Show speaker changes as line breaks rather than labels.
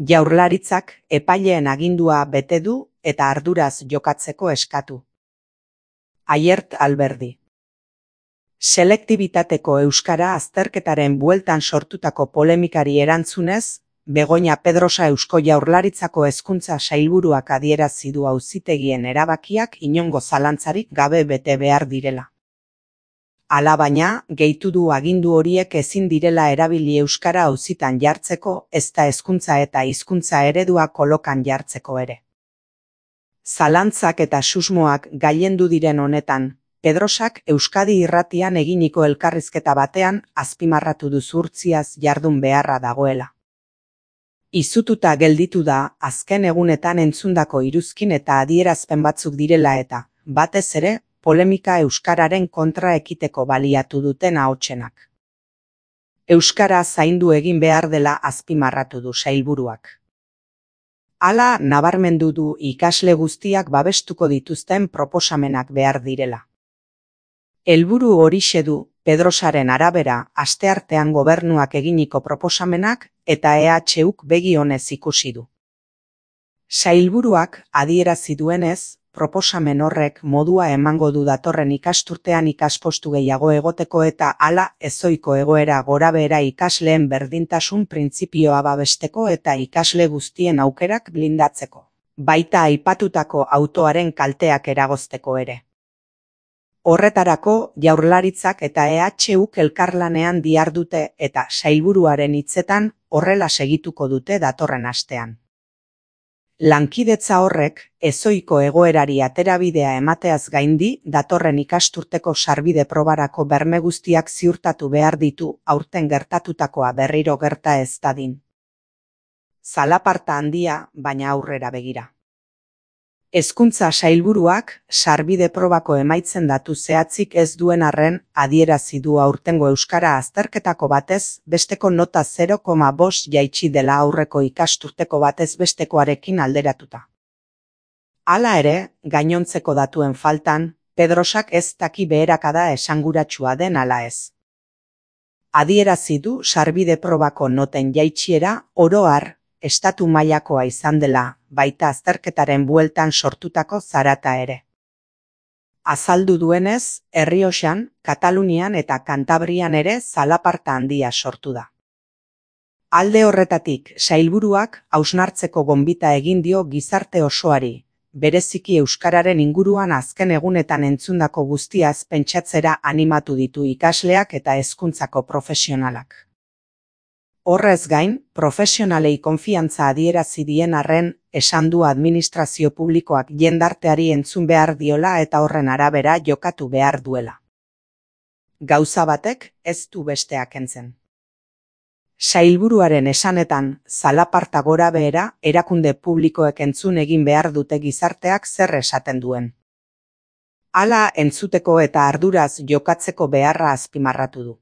Jaurlaritzak epaileen agindua bete du eta arduraz jokatzeko eskatu. Aiert Alberdi. Selektibitateko euskara azterketaren bueltan sortutako polemikari erantzunez, Begoña Pedrosa Eusko Jaurlaritzako hezkuntza sailburuak adierazi du auzitegien erabakiak inongo zalantzarik gabe bete behar direla. Alabaina, gehitu du agindu horiek ezin direla erabili euskara auzitan jartzeko, ezta hezkuntza eta hizkuntza eredua kolokan jartzeko ere. Zalantzak eta susmoak gailendu diren honetan, Pedrosak Euskadi Irratian eginiko elkarrizketa batean azpimarratu du zuhurtziaz jardun beharra dagoela. Izututa gelditu da azken egunetan entzundako iruzkin eta adierazpen batzuk direla eta, batez ere, polemika euskararen kontra ekiteko baliatu duten ahotsenak. Euskara zaindu egin behar dela azpimarratu du sailburuak. Hala nabarmendu du ikasle guztiak babestuko dituzten proposamenak behar direla. Helburu horixe du, Pedrosaren arabera, asteartean gobernuak eginiko proposamenak eta EHuk begi onez ikusi du. Sailburuak adierazi duenez, proposamen horrek modua emango du datorren ikasturtean ikaspostu gehiago egoteko eta hala ezohiko egoera gorabehera ikasleen berdintasun printzipioa babesteko eta ikasle guztien aukerak blindatzeko, baita aipatutako autoaren kalteak eragozteko ere. Horretarako, Jaurlaritzak eta EHuk elkarlanean dihardute eta sailburuaren hitzetan horrela segituko dute datorren astean. Lankidetza horrek, ezohiko egoerari aterabidea emateaz gaindi, datorren ikasturteko sarbide probarako berme guztiak ziurtatu behar ditu aurten gertatutakoa berriro gerta ez dadin. Zalaparta handia, baina aurrera begira. Hezkuntza sailburuak sarbide probako emaitzen datu zehatzik ez duen arren adierazi du aurtengo euskara azterketako batez besteko nota 0,5 jaitsi dela aurreko ikasturteko batez bestekoarekin alderatuta. Hala ere, gainontzeko datuen faltan, Pedrosak ez daki beherakada esanguratsua den ala ez. Adierazi du sarbide probako noten jaitsiera oro har estatu mailakoa izan dela, baita azterketaren bueltan sortutako zarata ere. Azaldu duenez, Errioxan, Katalunian eta Kantabrian ere zalaparta handia sortu da. Alde horretatik, sailburuak hausnartzeko gonbita egin dio gizarte osoari, bereziki euskararen inguruan azken egunetan entzundako guztiaz pentsatzera animatu ditu ikasleak eta hezkuntzako profesionalak. Horrez gain, profesionalei konfiantza adierazi dien arren, esan du administrazio publikoak jendarteari entzun behar diola eta horren arabera jokatu behar duela. Gauza batek ez du besteak entzen. Sailburuaren esanetan, zalaparta gora behera, erakunde publikoek entzun egin behar dute gizarteak zer esaten duen. Hala entzuteko eta arduraz jokatzeko beharra azpimarratu du.